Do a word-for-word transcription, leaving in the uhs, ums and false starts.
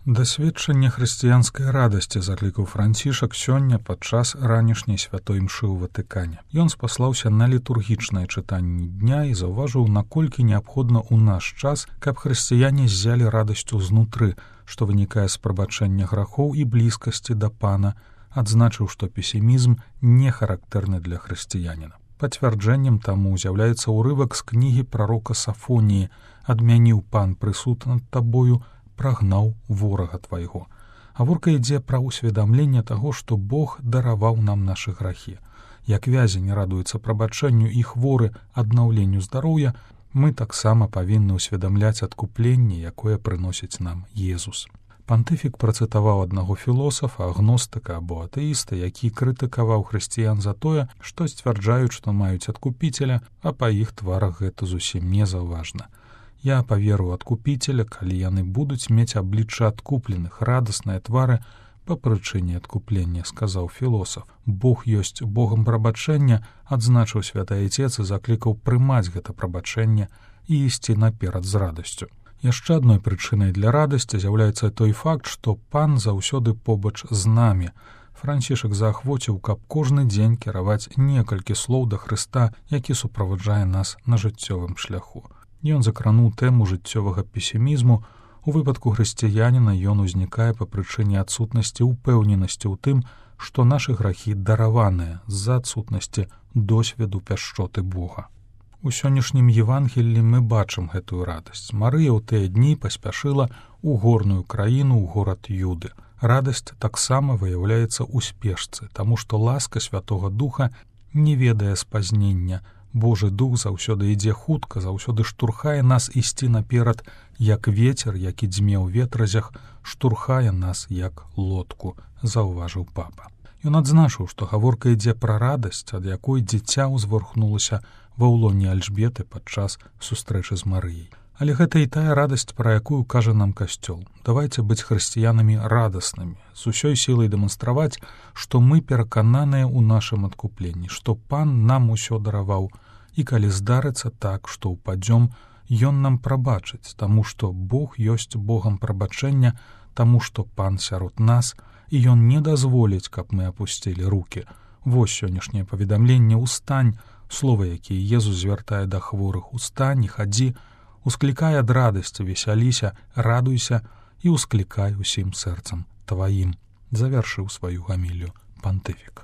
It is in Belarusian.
Дасведчанне хрысціянскай радасці заклікаў Францішак сёння падчас ранішняй святой імшы ў Ватыкане. Ён спаслаўся на літургічнае чытанне дня і заўважыў, наколькі неабходна ў наш час, каб хрысціяне ззялі радасцю знутры, што вынікае з прабачэння грахоў і блізкасці да Пана, адзначыў, што песімізм не характэрны для хрысціяніна. Пацвярджэннем таму з'яўляецца ўрывак з кнігі прарока Сафоніі «Адмяніў Пан прысуд над табою, прагнаў ворага твайго». Гаворка ідзе пра ўсведамленне таго, што Бог дараваў нам нашы грахі. Як вязень радуецца прабачэнню і хворы аднаўленню здароўя, мы таксама павінны ўсведамляць адкупленне, якое прыносіць нам Езус. Пантыфік працытаваў аднаго філосафа, агностыка або атэіста, які крытыкаваў хрысціян за тое, што сцвярджаюць, што маюць адкупіцеля, а па іх тварах гэта зусім не заўважна. «Я паверу адкупіцеля, калі яны будуць мець аблічча адкупленых, радасныя твары па прычыне адкуплення», — сказаў філосаф. Бог ёсць Богам прабачэння, адзначыў святы Айцец і заклікаў прымаць гэта прабачэнне і ісці наперад з радасцю. Яшчэ адной прычынай для радасці з'яўляецца той факт, што Пан заўсёды побач з намі. Францішак заахвоціў, каб кожны дзень кіраваць некалькі слоў да Хрыста, які суправаджае нас на жыццёвым шляху. Ён закрануў тэму жыццёвага песімізму. У выпадку хрысціяніна ён узнікае па прычыне адсутнасці ўпэўненасці ў тым, што нашы грахі дараваныя з-за адсутнасці досведу пяшчоты Бога. У сённяшнім Евангеллі мы бачым гэтую радасць. Марыя ў тыя дні паспяшыла ў горную краіну, ў горад Юды. Радасць таксама выяўляецца ў спешцы, таму што ласка Святога Духа не ведае спазнення. Божы Дух заўсёды ідзе хутка, заўсёды штурхае нас ісці наперад, як вецер, які дзьме ў ветразях, штурхае нас як лодку, заўважыў папа. Ён адзначыў, што гаворка ідзе пра радасць, ад якой дзіця ўзвархнулася ва ўлоне Альжбеты падчас сустрэчы з Марыяй. Але гэта і тая радасць, пра якую кажа нам Касцёл. Давайце быць хрысціянамі радаснымі, з усёй сілай дэманстраваць, што мы перакананыя ў нашым адкупленні, што Пан нам усё дараваў, і калі здарыцца так, што ўпадзём, ён нам прабачыць, таму што Бог ёсць Богам прабачэння, таму што Пан сярод нас, і ён не дазволіць, каб мы апусцілі рукі. Вось сённяшняе паведамленне «Устань», слова, якія Езус звяртае да хворых: «Устань і хадзі», усклікай ад радасці, весяліся, радуйся і усклікай усім сэрцам тваім, завяршыў сваю гамілію пантыфік.